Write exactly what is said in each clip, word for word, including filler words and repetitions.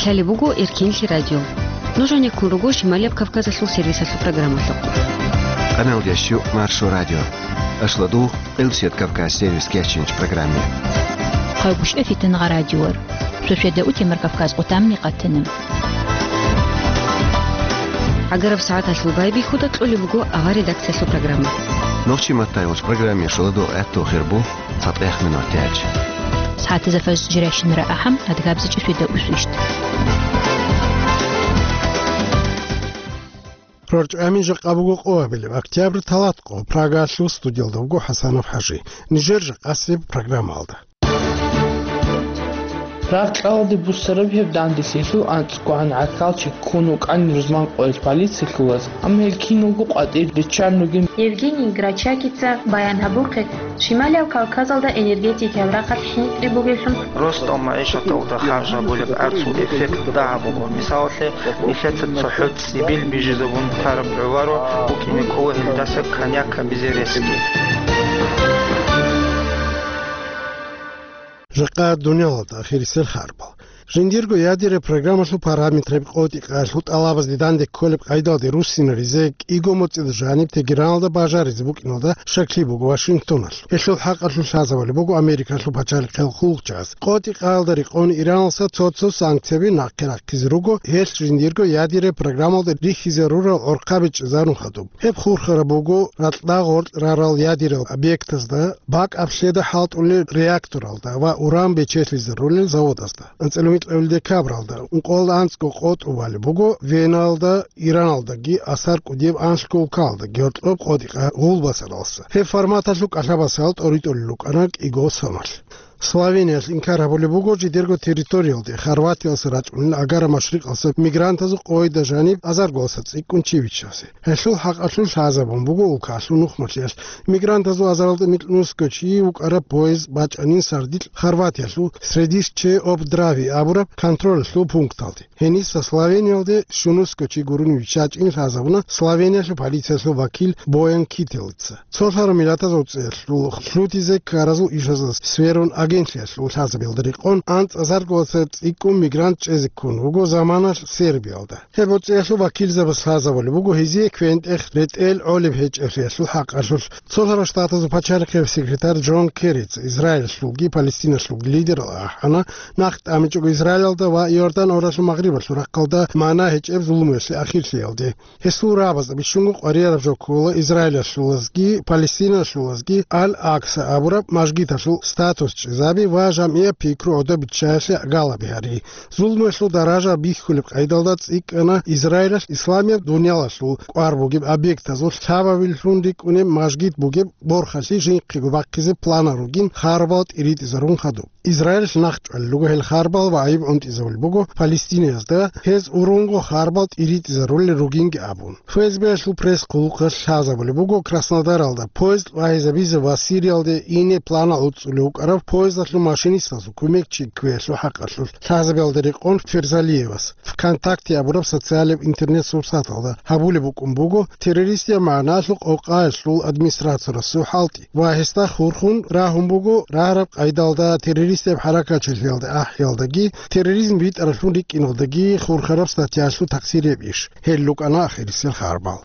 Лъалеб буго Эркенлъи радио. Нуж гьанеккун руго Шималияб Кавказалъул сервисалъул программалъухъ. Къаналдеш Маршо радио. Ашладу Элсет Кавказ сервис кечинч программе. Хъайгъуш эфитан гъа радиор. Шошеда утемар Кавказ къутамни къатана. Агараб сагӀаталъул байбихьуда кьолеб буго авар редакциялъул программа. Нохчи маттайгъуш программе шоладу гӀатту хирбу. ЦатӀех минут яч. СагӀатазда фаз жирайщинара ахӀам, адгабзичӀеб шведа усвищт. РорчӀами жакъа буго къоабилеб октябрь талатӀкъо, Прагалъул студиялда вуго ХӀасанов ХӀажи. Нижер жакъасеб программалда. Рагъ кьалде буссараб гьеб данделъиялъул анцӀгогӀан гӀахьалчи ккун вукӀан рузман къоялъ полициялъулаз, амма гьел киналго къватӀир риччан ругин. Евгений Грачакица баян гьабухъе, Шималияб Кавказалда энергетикаяб рахъалъ хӀинкъи бугевлъун. Ростов магӀишаталда харж гьабулеб арцул эффект дагьаб буго. Мисалалъе, нилъеца цохӀо цӀибил бижизабун тараб гӀоларо букӀине кӀола гьелдаса коньяк гьабизе ресги. Жакъа дуниялалда ахирисел харбал. Жиндирго ядераб программалъул параметраб къотӀи-къаялъул тӀалабазде данде кколеб къайдалде руссинаризе кӀиго моцӀида жаниб Тегераналда бажаризе букӀиналда щаклъи буго Вашингтоналъ. Гьелъул хӀакъалъулъ лъазабулеб буго Америкалъул пачалихъал хъулухъчияс. КъотӀи-къаялда рекъон Иранаса цо-цо санкцияби нахъе рахъизе руго, гьелъ жиндирго ядераб программалда рихьизе рурал гӀорхъаби чӀезарун хадуб. Гьеб хурхараб буго ракьда гъоркь рарал ядерал объектазда бакӀ аблъеда хӀалтӀулел реакторалда ва уран бечелъизарулел заводазда. АнцӀила микьабил декабралда ункъоялда анцӀго къотӀу балеб буго Веналда, Ираналдаги асар кӀудияб анлъго улкаялдаги гьоркьоб къотӀи-къа гъулбасаралса. Гьеб форматалъул кӀалъабасал тӀоритӀулел рукӀана кӀиго соналъ. Словениялъ инкар гьабулеб буго жидерго территориялде Хорватиялъа рачӀунел Агара машрикъалъа мигрантазул къойда жаниб азарго цӀикӀкӀун чи виччазе. Гьелъул хӀакъалъулъ лъазабун буго улкалъул нухмалъиялъ мигрантазул азаралда микьнусго чи вукӀараб поезд бачӀанин сардилъ Хорватиялъул Средище об Драви абураб контролалъул пункталде. Гьениса Словениялде щунусго чи гурони виччачӀин лъазабуна Словениялъул полициялъул вакил Боян Кителица. Цолъараб миллатазул цӀеялъул лъутизе ккаразул ишазда сверун агентлъиялъул лъазабиялда рекъон анцӀазарго цӀикӀкӀун мигрант чӀезе ккун вуго заманалъ Сербиялда. Гьеб цӀеялъул вакилзабаз лъазабулеб буго гьезие квен-тӀех ретӀел гӀолеб гьечӀеблъиялъул хӀакъалъулъ. Цолъараб Штатазул пачалихъияб секретарь Джон Керрица Израилалъулги Палестиналъулги лидерал ахӀана, нахъ тӀамичӀого Израилалда ва Иордан гӀуралъул магърибалъул рахъалда магӀна гьечӀеб зулумуялъе ахирлъиялде. Гьесул рагӀабазда бищунго къваригӀараб жо ккола Израилалъулазги Палестиналъулазги Ал-Акса абураб мажгиталъул статус чӀезаби ва жамгӀияб пикру гӀодобиччаялъе галаби гьари. Зулмуялъул даража бихьулеб къайдалда цӀикӀкӀана Израилалъ исламияб дуниялалъул кӀвар бугеб объектазул лъабабилъун рикӀкӀунеб мажгит бугеб борхалъи жинхъего бахъизе планал ругин харбал тӀиритӀизарун хадуб. Израилалъ нахъчӀвалел руго гьел харбал ва гӀайиб гӀунтӀизабулеб буго Палестинаязда, гьез урунго харбал тӀиритӀизарулел ругинги абун. ФСБ-ялъул пресс-хъулухъалъ лъазабулеб буго Краснодаралда поезд вагьизабизе ва Сириялде ине планал уцӀцӀулев вукӀарав поездалъул машинистазул кумекчи кквеялъул хӀакъалъулъ лъазабиялда рекъон Ферзалиевас. ВКонтакте абураб социалияб интернет-сурсаталда гьабулеб букӀун буго террористияб магӀналъул къокъаялъул администрациясул хӀалтӀи ва гьесда хурхун рагьун буго рагьараб къайдалда террористияб хӀаракатчилъиялда ахӀиялдаги терроризм битӀаралъун рикӀкӀиналдаги хурхараб статьялъул такъсирияб иш. Гьел рукӀана ахирисел харбал.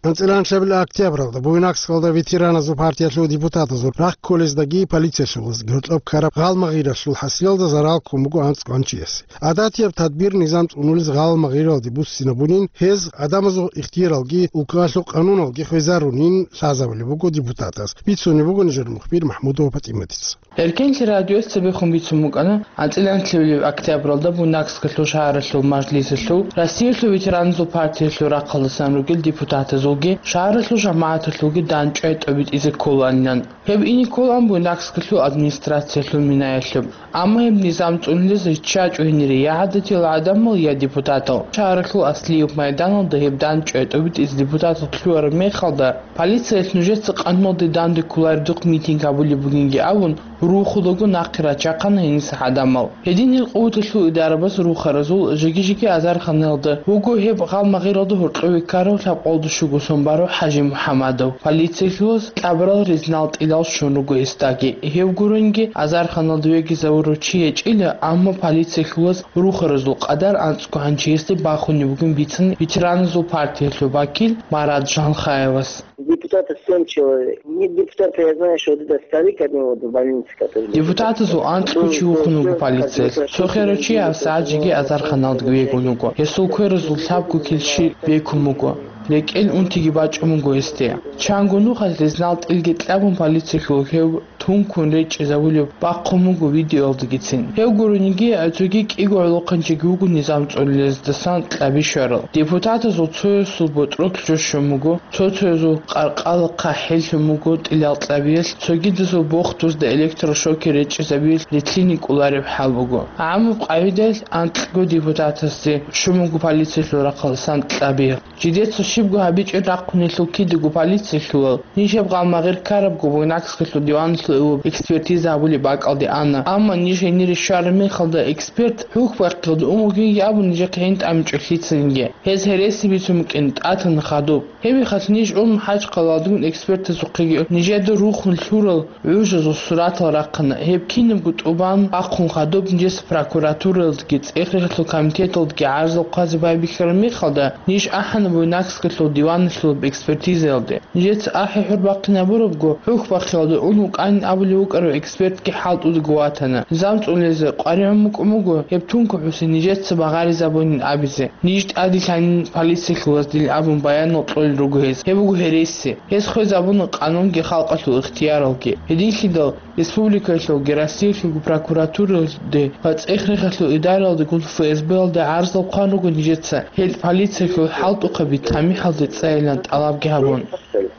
АнцӀила анлъабил октябралда Буйнакскалда ветераназул партиялъул депутатазул рахъ кколездаги полициялъулазги гьоркьоб ккараб гъалмагъиралъул хӀасилалда зарал ккун буго анцӀ гъанчиясе. ГӀадатияб тадбир-низам цӀунулез гъалмагъиралде буссинабунин, гьез гӀадамазул ихтияралги улкалъул къануналги хвезарунин лъазабулеб буго депутатаз. Бицунеб буго нижер мухбир МахӀмудова ПатӀиматица. Эркенлъи радиоялъ цебехун бицун букӀана, анцӀила анлъабилеб октябралда Буйнакскалъул шагьаралъул мажлисалъул, Россиялъул ветераназул партиялъул рахъалдасан ругел депутатазулги шагьаралъул жамагӀаталъулги дандчӀвай тӀобитӀизе кколаанилан. Гьеб ине кколаан Буйнакскалъул администрациялъул минаялъуб. Амма гьеб низам цӀунулез риччачӀо гьенире я гӀадатиял гӀадамал, я депутатал. Шагьаралъул Аслиев майданалда гьеб дандчӀвай тӀобитӀизе депутатал лъугӀараб мехалда, полициялъ нужеца къануналде данде кколареб духъ митинг гьабулеб бугинги абун, рухулаго нахъе рачахъана гьениса гӀадамал. Гьедин гьел къуваталъул идарабаз рухаразул жиги-жиги азарханалда вуго гьеб гъалмагъиралда гьоркьове ккарав лъабкъолда щуго сон барав ХӀажи МухӀамадов. Полициялъулаз кьабарал ризнал тӀилал щун руго гьесдаги. Гьев гуренги азарханалда вегизавурав чи гьечӀила, амма полициялъулаз рухаразул къадар анцӀго гьанжеясде бахунеб бугин бицана ветераназул партиялъул вакил Марат Жанхаевас. Депутатов семь человек. Нет депутата, я знаю, что вот этот старик один вот в больнице, который лежит. Депутатазул анцӀго чи вухун вуго полициялъ. Цо херав чи гьабсагӀат жеги азарханалда вегун вуго. Гьесул кверазул лъабго килщи бекун буго. РекӀел унтиги бачӀун буго гьесде. Чанго нухалъ ризнал тӀилги кьабун полициялъул гьев тункун речӀчӀизавулеб бахъун буго видеоялдагицин. Гьев гурониги, цоги кӀиго гӀолохъанчиги вуго низам цӀолилаздасан кьаби щварал. Депутатазул цоясул ботӀролъ жо щун буго, цо-цоязул къаркъала хъахӀеллъун буго тӀилал кьабиялъ, цогидазул бохтузда электрошокер речӀчӀизабиялъ ритлъине кӀолареб хӀал буго. ГӀамаб къагӀидаялъ анкьго депутатасде щун буго полициялъул рахъалдасан кьаби. Жидеца щибго гьабичӀеб рахъунелъул кидаго полициялъулал нижеб гъалмагъир ккарабго Буйнакскалъул диваналъул экспертиза гьабулеб бакӀалде ана, амма ниж гьенире щвараб мехалда эксперт хӀухьбахъиялда ун вугинги абун нижехъе гьин тӀамичӀо лъицаниги. Гьез гьереси бицун букӀин тӀатана хадуб. Гьеб мехалъ ниж ун хӀажхъалалдагун экспертазухъеги нижеда рухун лъурал гӀужазул суратал рахъана. Гьеб кинабго тӀубан бахъун хадуб нижеца прокуратураялдги цӀех-рехалъул комитеталдги гӀарзал хъвазе байбихьараб мехалда, ниж ахӀана Буйнакскалъул диваналъулаб экспертизаялде. Нижеца ахӀи-хӀур бахъинабурабго, хӀухьбахъиялда ун вукӀанин абулев вукӀарав экспертги хӀалтӀудаго ватана. Низам цӀолизе къваригӀун букӀун буго, гьеб тункухӀусе нижеца багъаризабунин абизе. Ниж тӀаде лъанин полициялъулаз дил абун баянал кьолел руго гьез. Гьеб буго гьереси. Гьез хвезабуна къанунги халкъалъул ихтияралги. Гьединлъидал республикаялъулги Россиялъулги прокуратураялде ва цӀех-рехалъул идараялдегун ФСБ-ялде гӀарзал хъван руго нижеца, гьел полициялъул хӀалтӀухъаби тамихӀалде цӀайилан тӀалабги гьабун.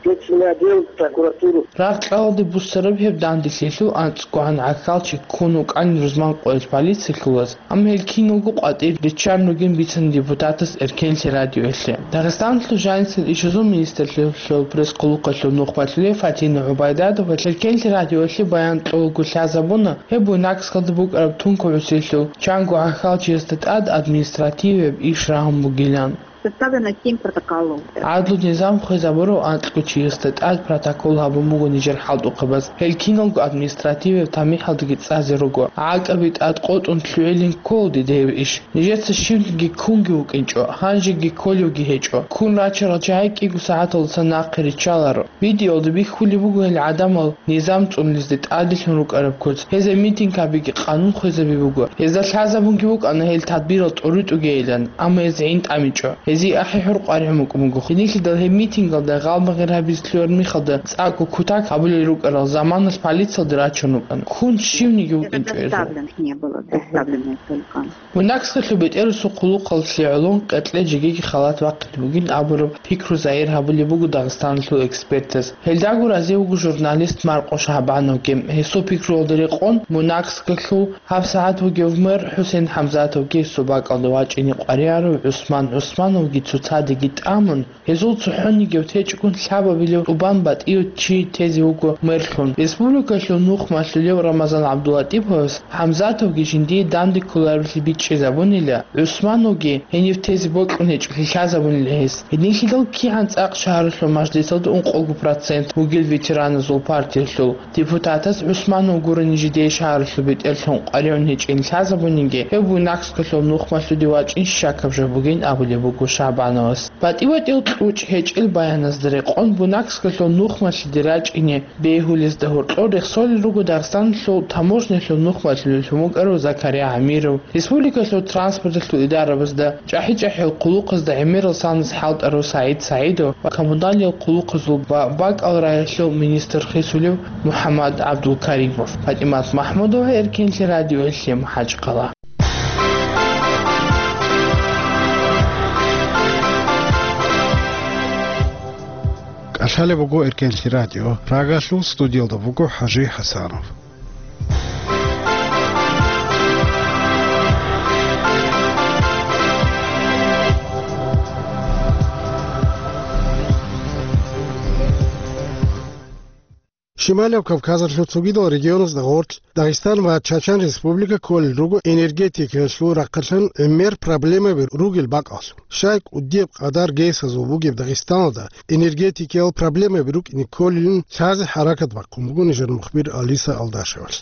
Следственный отдел, прокуратуру. Рагъ-кьалалде буссараб гьеб данделъиялъул анцӀгогӀан гӀахьалчи ккун вукӀанин рузман къоялъ полициялъулаз. Амма гьел киналго къватӀир риччан ругин бицана депутатас Эркенлъи радиоялъе. Дагъистаналъул жанисел ишазул министрлъиялъул пресс-хъулухъалъул нухмалъулев Фатина ГӀубайдатова Эркенлъи радиоялъе баян кьолаго лъазабуна гьеб Буйнакскалда букӀараб тункухӀусиялъул чанго гӀахьалчиясда тӀад административияб иш рагьун бугилан. Составлено семь протоколов. ГӀадлу-низам хвезабурав анкьго чиясда тӀад протокол гьабун буго нижер хӀалтӀухъабаз. Гьел киналго административияб тамихӀалдаги цӀазе руго. ГӀакӀаби тӀад къотӀун лъугӀилин кколади дев иш. Нижеца щивниги ккунги вукӀинчӀо, гьанжеги кколевги гьечӀо. Ккун рачарал чагӀи кӀиго сагӀаталдаса нахъе риччаларо. Видеоялда бихьулеб буго гьел гӀадамал низам цӀунулезде тӀаделъун рукӀараб куц. Гьезда митинг гьабиги къанун хвезаби буго. Гьезда лъазабунги букӀана гьел тадбирал тӀоритӀугейилан, амма гьез гӀин тӀамичӀо. Гьезие ахӀи-хӀур къваригӀун букӀун буго. Гьединлъидал гьеб митингалда гъалмагъир гьабизе лъугӀараб мехалда цӀакъго кутак гьабулел рукӀарал заманалъ полициялде рачун рукӀана. Ккун щивниги вукӀинчӀо гьезул. Доставлено не было, доставлено только. Буйнакскалъул бетӀерасул хъулухъалъе гӀолон къеркье жегиги халат бахъине бугин абураб пикру загьир гьабулеб буго Дагъистаналъул экспертаз. Гьелдаго разив вуго журналист Маркъо Шагьбановги. Гьесул пикруялда рекъон, Буйнакскалъул гьабсагӀат вугев мэр ХӀусен ХӀамзатовги гьесул бакӀалда вачӀине къваригӀарав ГӀусман ГӀусмановги цоцадеги тӀамун, гьезул цохӀонигев течӀгун лъабабилев тӀубан батӀияв чи тезе вуго мэрлъун. Республикалъул нухмалъулев Рамазан ГӀабдуллатӀиповас ХӀамзатовги жиндие данде кколаревлъи бичӀчӀизабунила, ГӀусмановги гьенив тезе бокьун гьечӀолъи лъазабунила гьес. Гьединлъидал кигӀан цӀакъ шагьаралъул мажлисалда ункъого процент вугел ветераназул партиялъул депутатас ГӀусманов гурони жидее шагьаралъул бетӀерлъун къваригӀун гьечӀин лъазабунинги, гьев Буйнакскалъул нухмалъуде вачӀин щакаб жо бугин абулеб буго Шагьбановас. БатӀи-батӀиял кьучӀ гьечӀел баяназда рекъон, Буйнакскалъул нухмалъиде рачӀине бегьулезда гьоркьор рехсолел руго Дагъистаналъул таможнялъул нухмалъулев вукӀарав Закария ГӀамиров, республикалъул транспорталъул идарабазда, чӀахӀи-чӀахӀиял хъулухъазда гӀемерал санас хӀалтӀарав СагӀид СагӀидов ва коммуналиял хъулухъазул ва бакӀал раялъул министр хисулев МухӀаммад ГӀабдулкаримов. ПатӀимат МахӀмудова, Эркенлъи радиоялъе, МахӀачкъала. КӀалъалеб буго Эркенлъи радио. Прагалъул студиялда вуго ХӀажи ХӀасанов. Шималияб Кавказалъул цогидал регионазда гъорлъ Дагъистан ва Чачан Республика кколел руго энергетикаялъул рахъалъан гӀемер проблемаби ругел бакӀалъ. Щай кӀудияб къадар гесазул бугеб Дагъистаналда энергетикаял проблемаби рукӀине кколилан лъазе хӀаракат бахъун буго нижер мухбир Алиса Алдашевалъ.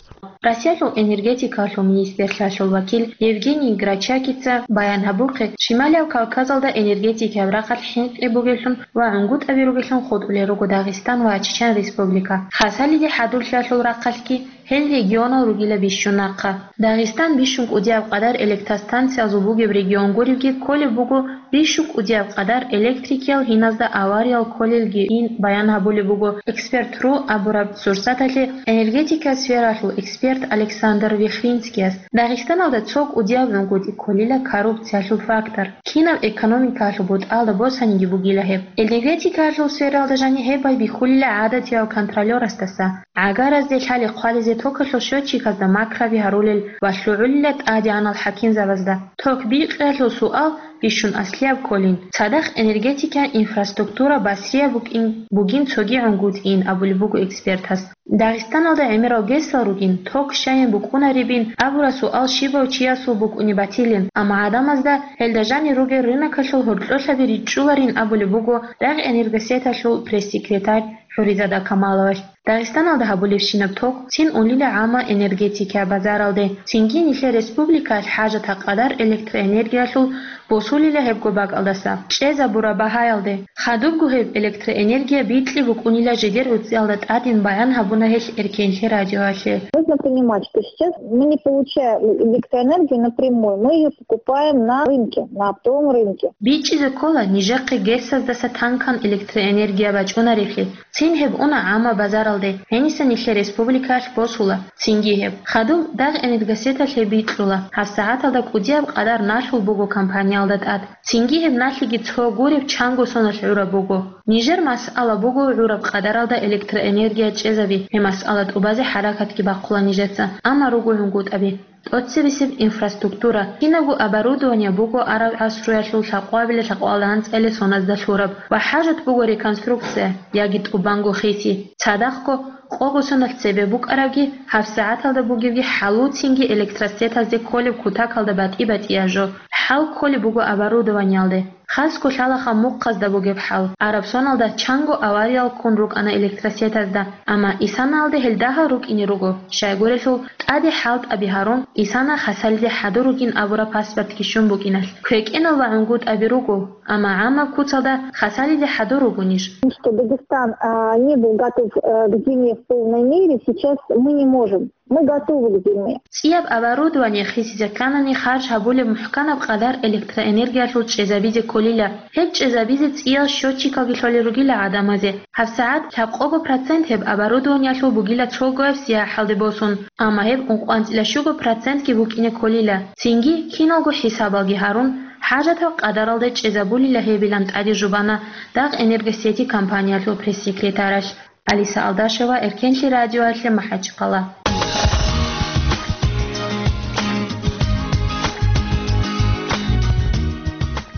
Россиялъул энергетикалъул министрлъиялъул вакил Евгений Грачакица баян гьабухъе, Шималияб Кавказалда энергетикаяб рахъалъ хӀинкъи бугеллъун ва гӀунгутӀаби ругеллъун хутӀулел руго Дагъистан ва Чечен Республика. Хасалиде хӀадурлъиялъул рахъалъги гьел регионал ругила бищун нахъа. Дагъистан бищун кӀудияб къадар электростанциязул бугеб регион гуребги кколеб буго, бищун кӀудияб къадар электрикиял гьиназда авариял кколелги ин баян гьабулеб буго «Эксперт ру» абураб сурсаталъе энергетика сфералъул эксперт Александр Вихринскияс. Дагъистаналда цо кӀудияб гӀунгутӀи кколила коррупциялъул фактор. Кинаб экономикалъул бутӀалда босаниги бугила гьеб. Энергетикалъул сфералда жаниб гьеб байбихьулила гӀадатиял контролёрасдаса. ГӀагаразде лъали хъвализе токалъул счётчиказда макраби гьарулел ва лъугӀулила тӀадегӀанал хӀакимзабазда. Ток бикьиялъул суал бищун аслияб кколин, цадахъ энергетикан инфраструктура басрияб букӀин бугин цоги гӀунгутӀиин абулеб буго экспертас. Дагъистаналда гӀемерал гесал ругин, ток щайин букӀунаребин абураб суал щибав чиясул букӀунеб батилин, амма гӀадамазда гьелда жанир ругел рынокалъул гьоркьолъаби ричӀчӀуларин абулеб буго Дагъ энергосеталъул пресс-секретарь ХӀуризада Камаловалъ. Дагъистаналда гьабулебщинаб ток цин унила гӀамма энергетика базаралде, цинги нилъер республикаялъ хӀажатаб къадар электроэнергиялъул босулила гьебго бакӀалдаса. ЧӀезабураб багьаялде, хадубго гьеб электроэнергия бикьи букӀунила жидер гӀуцӀиялда тӀадин баян гьабуна гьелъ Эркенлъи радиоялъе. Нужно понимать, что сейчас мы не получаем электроэнергию напрямую, мы ее покупаем на рынке, на оптовом рынке. БичӀчӀизе ккола нижехъе гесаздаса танкан электроэнергия бачӀунаревлъи. Цин гьеб уна гӀамма базаралде, гьениса нилъер республикаялъ босула. Цинги гьеб хадуб Дагъ энергосеталъе бикьула. ГьабсагӀаталда кӀудияб къадар налъул буго компаниялда тӀад. Цинги гьеб налъиги цо гуреб чанго соналъ гӀураб буго. Нижер масъала буго гӀураб къадаралда электроэнергия чӀезаби, гьеб масъала тӀубазе хӀаракатги бахъула нижеца, амма руго гӀунгутӀаби. ТӀоцебесеб инфраструктура, кинабго оборудование буго араб гӀасруялъул лъабкъоабилеб лъабкъоялда анцӀила соназда лъураб ва хӀажат буго реконструкция яги тӀубанго хиси. Цадахъго, къого соналъ цебе букӀарабги, гьабсагӀаталда бугебги хӀалуцинги электросетазде кколеб кутакалда батӀи-батӀияб жо. ХӀал кколеб буго оборудованиялде. Хасго лъалаха мухъазда бугеб хӀал. Араб соналда чанго авариял ккун рукӀана электросетазда, амма исанаялде гьел дагьал рукӀине руго, щайгурелъул тӀаде хӀалтӀаби гьарун, исана Хасалиде хӀадур ругин абураб паспортги щун букӀиналъ. КвекӀенал ва гӀунгутӀаби руго, амма гӀаммаб куцалда Хасалиде хӀадур ругонищ? Что Дагестан, а, не был готов, э, к зиме в полной мере, сейчас мы не можем. Мы готовы к зиме. ЦӀияб оборудование хисизе кканани харж гьабулеб мухӀканаб къадар электроэнергиялъул чӀезабизе кколила. Гьеб чӀезабизе цӀиял счётчикалги лъолел ругила гӀадамазе. ГьабсагӀат лъабкъого процент гьеб оборудованиялъул бугила цогояб сияхӀалде босун, амма гьеб ункъоанцӀила щуго процентги букӀине кколила. Цинги, киналго хӀисабалги гьарун, хӀажатаб къадаралда чӀезабулила гьебилан тӀаде жубана Дагъ энергосети компаниялъул пресс-секретаралъ. Алиса Алдашева, Эркенлъи радиоялъе, МахӀачхъала.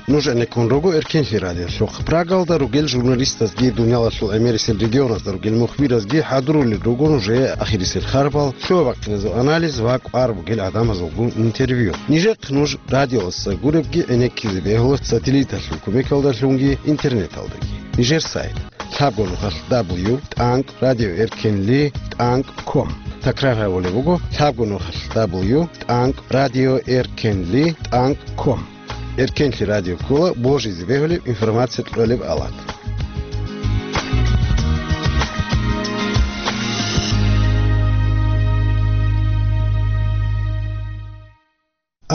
Нуж гӀенеккун руго Эркенлъи радиолъухъ. Прагалда ругел журналистазги, дуниялалъул гӀемерисел регионазда ругел мухбиразги хӀадурулел руго нужее ахирисел харбал, лъугьа-бахъиназул анализ ва кӀвар бугел гӀадамазулгун интервью. Нижехъ нуж радиоялдаса гуребги гӀенеккизе бегьула сателлиталъул кумекалдалъунги интернеталдаги. Нижер сайт: лъабго нухалъ дабл ю тӀанкӀ радио эркенли тӀанкӀ ком. Такрар гьабулеб буго: лъабго нухалъ дабл ю тӀанкӀ радио эркенли тӀанкӀ ком. Эркенлъи радио ккола божизе бегьулеб информация кьолеб алат.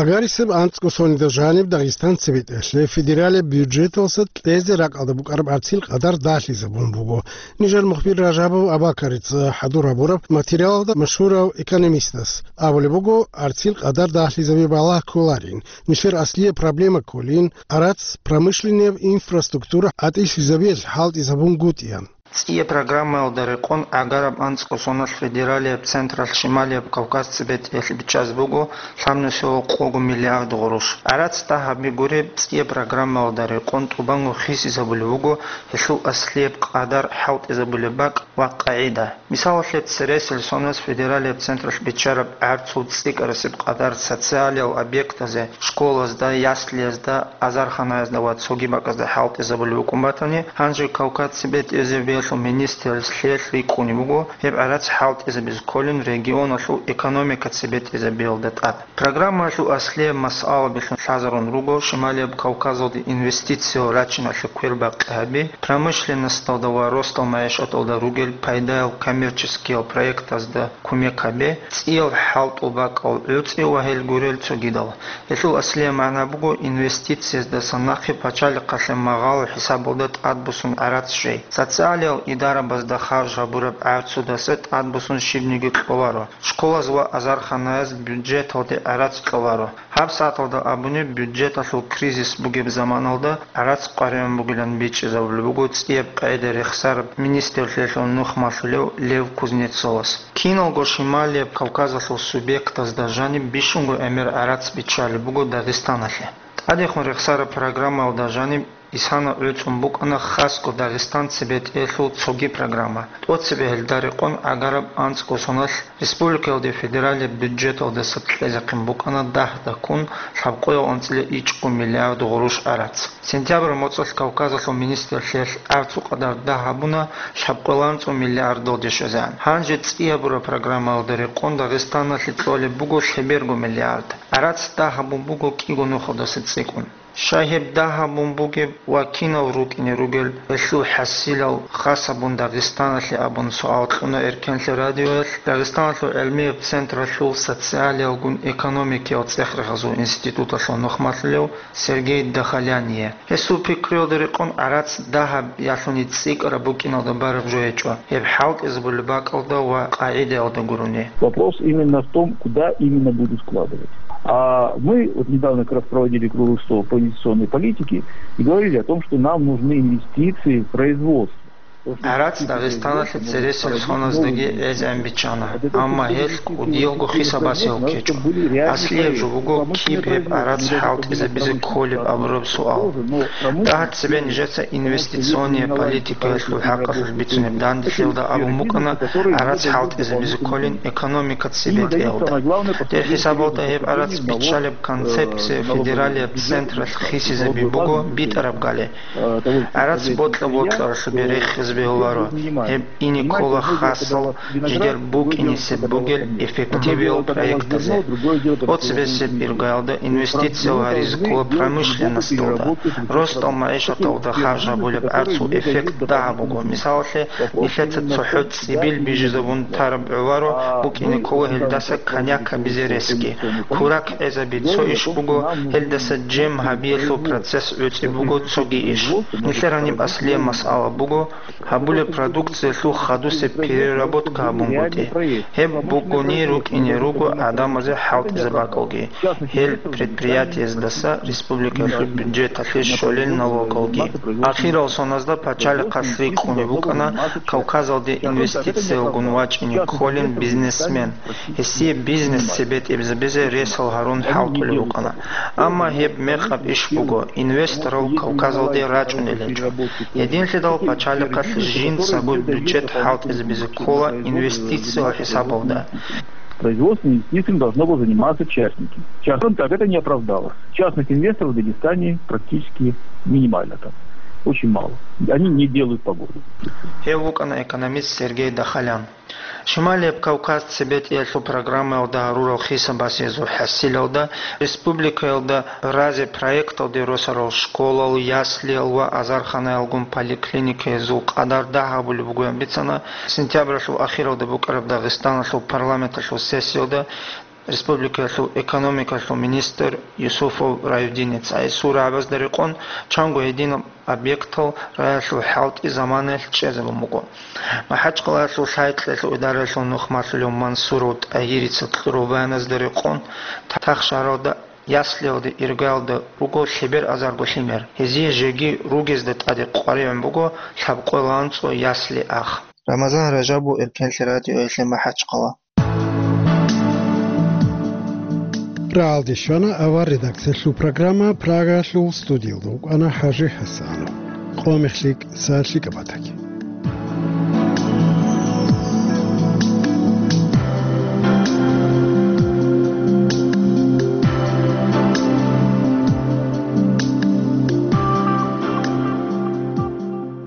Агарисеб анцӀго соналда жаниб Дагъистан цебетӀелъе федералияб бюджеталъа кьезе ракӀалда букӀараб гӀарцил къадар дагьлъизабун буго. Нижер мухбир Ражабов Абакарица хӀадур гьабураб материалалда машгьурав экономистас абулеб буго, гӀарцил къадар дагьлъизаби балагь кколарин, нилъер аслияб проблема кколин, гӀарац промышленнияб инфраструктура гӀатӀилъизабиялъ хӀалтӀизабунгутӀиан. ЦӀияб программаялда рекъон гӀагараб анцӀго соналъ федералияб централъ Шималияб Кавказ цебетӀеялъе бичӀчӀазе буго лъабнусиялда къого миллиард гъурущ. ГӀарац дагьабги гуреб, цӀияб программаялда рекъон тӀубанго хисизабулеб буго гьелъул аслияб къадар, хӀалтӀизабулеб бакӀ ва къагӀида. Мисалалъе, цересел соналъ федералияб централъ биччараб гӀарцул цӀикӀкӀарасеб къадар социалиял объектазе, школазда, яслиязда, азарханаязда ва цоги бакӀазда хӀалтӀизабулеб букӀун батани, гьанже Кавказ цебетӀезабиялъул министралъ лъиялъ рикӀкӀунеб буго гьеб гӀарац хӀалтӀизабизе кколин регионалъул экономика цебетӀезабиялда тӀад. Программаялъул аслияб масъалабилъун лъазарун руго Шималияб Кавказалде инвестициял рачиналъе квербакъи гьаби, промышленносталда ва росдал магӀишаталда ругел пайдаял коммерческиял проектазда кумек гьабе, цӀиял хӀалтӀул бакӀал гӀуцӀи ва гьел гурел цогидал. Гьелъул аслияб магӀна буго инвестицияздасан нахъе пачалихъалъе магъало хӀисабалда тӀадбуссун гӀарац щвей. Социалиял идарабазда харж гьабураб гӀарцудаса тӀадбуссун щибниги кьоларо. Школаз ва азарханаяз бюджеталде гӀарац кьоларо. ГьабсагӀаталда абуни, бюджеталъул кризис бугеб заманалда гӀарац къваригӀун бугилан бичӀчӀизабулеб буго цӀияб къагӀида рехсараб министрлъиялъул нухмалъулев Лев Кузнецовас. Киналго Шималияб Кавказалъул субъектазда жаниб бищунго гӀемер гӀарац биччалеб буго Дагъистаналъе. ТӀадехун рехсараб программаялда жаниб исана гӀуцӀун букӀана хасго Дагъистан цебетӀеялъул цоги программа. ТӀоцебе гьелда рекъон гӀагараб анцӀго соналъ республикаялде федералияб бюджеталдаса кьезехъин букӀана дагь-дагьккун лъабкъоял анцӀила ичӀго миллиард гъурущ гӀарац. Сентябрь моцӀалъ Кавказалъул министрлъиялъ гӀарцул къадар дагь гьабуна лъабкъоял анцӀго миллиардалде щвезегӀан. Гьанже цӀиябураб программаялда рекъон Дагъистаналъе кьолеб буго лъеберго миллиард. ГӀарац дагь гьабун буго кӀиго нухалдаса цӀикӀкӀун. Щай гьеб дагь гьабун бугеб ва кинал рукӀине ругел гьелъул хӀасилал хас гьабун Дагъистаналъе абун суал кьуна Эркенлъи радиоялъ Дагъистаналъул гӀелмияб централъул социалиялгун экономикиял цӀех-рехазул институталъул нухмалъулев Сергей Дахаляне. Гьесул пикруялда рекъон гӀарац дагь гьаб ялъуни цӀикӀкӀараб букӀиналда бараб жо гьечӀо, гьеб хӀалтӀизабулеб бакӀалда ва къагӀидаялда гурони. Вопрос именно в том, куда именно будут вкладывать. А мы вот недавно как раз проводили круглый стол по инвестиционной политике и говорили о том, что нам нужны инвестиции в производство. ГӀарац Дагъистаналъе цересел соназдаги гӀезегӀан биччана, амма гьелъ кӀудиялго хисабасел ккечӀо. Аслияб жо буго киб гьеб гӀарац хӀалтӀизабизе кколеб абураб суал. Дагьаб цебе нижеца инвестиционная политикаялъул хӀакъалъулъ бицунеб данделъиялда абун букӀана гӀарац хӀалтӀизабизе кколин экономика цебетӀеялда. Дир хӀисабалда гьеб гӀарац биччалеб концепция федералияб централъ хисизаби буго битӀараб гали. ГӀарац бокьа-бокьаралъубе рехизе бегьуларо, гьеб ине ккола хасал жидер букӀинисеб бугел эффективиял проектазе. ТӀоцебесеб иргаялда инвестициял гьаризе ккола промышленносталда, росдал магӀишаталда харж гьабулеб гӀарцул эффект дагьаб буго. Мисалалъе, нилъеца цохӀо цӀибил бижизабун тараб гӀоларо, букӀине ккола гьелдаса коньяк гьабизе ресги. Курак гӀезаби цо иш буго, гьелдаса жем гьабиялъул процесс гӀуцӀи буго цоги иш. Нилъер гьаниб аслияб масъала буго, гьабулеб продукциялъул хадусеб переработка гьабунгутӀи. Гьеб бугони рукӀине руго гӀадамазе хӀалтӀизаб бакӀалги, гьел предприятиездаса республикалъул бюджеталъе щолел налогалги. Ахирал соназда пачалихъалъ рикӀкӀунеб букӀана Кавказалде инвестициялгун вачӀине кколин бизнесмен. Гьесие бизнес цебетӀезабизе ресал гьарун хӀалтӀулев вукӀана. Амма гьеб мекъаб иш буго, инвесторал Кавказалде рачӀунел гьечӀо. Гьединлъидал пачалихъалъ жинцаго бюджет хӀалтӀизабизе ккола инвестициял хӀисабалда. Производственными инвестициями должно было заниматься частники. Частным так это не оправдало. Частных инвесторов в Дагестане практически минимально там. Очень мало. Они не делают погоду. Гьев вукӀана экономист Сергей Дахалян. Шималияб Кавказ цебетӀеялъул программаялда гьарурал хисабасезул хӀасилалда, республикаялда разе проекталде росарал школал, яслиял ва азарханаялгун поликлиникаязул къадар дагь гьабулеб бугоян бицана сентябралъул ахиралда букӀараб Дагъистаналъул парламенталъул сессиялда республикаялъул экономикалъул министр Юсуфов Раюдинец. Гьесул рагӀабазда рекъон чанго гьединаб объектал раялъул хӀалтӀи заманаялъ чӀезабун буго. МахӀачкъалаялъул лъай-кьелъул идараялъул нухмалъулев Мансуров ТӀагьирица кьураб баяназда рекъон, Тахшагьаралда Яслиялда иргаялда руго лъебер азарго лъимер. Гьезие жеги ругезда тӀаде къваригӀун буго лъабкъоялда анцӀго ясли ах. Рамазан Ражабов, Эркенлъи радиоялъе МахӀачхъала. Рагьалде щвана авар редакциялъул программа, Прагаялъул студиялда вукӀана ХӀажи ХӀасанов. Къо мехлъи, са лъикӀаб батаги.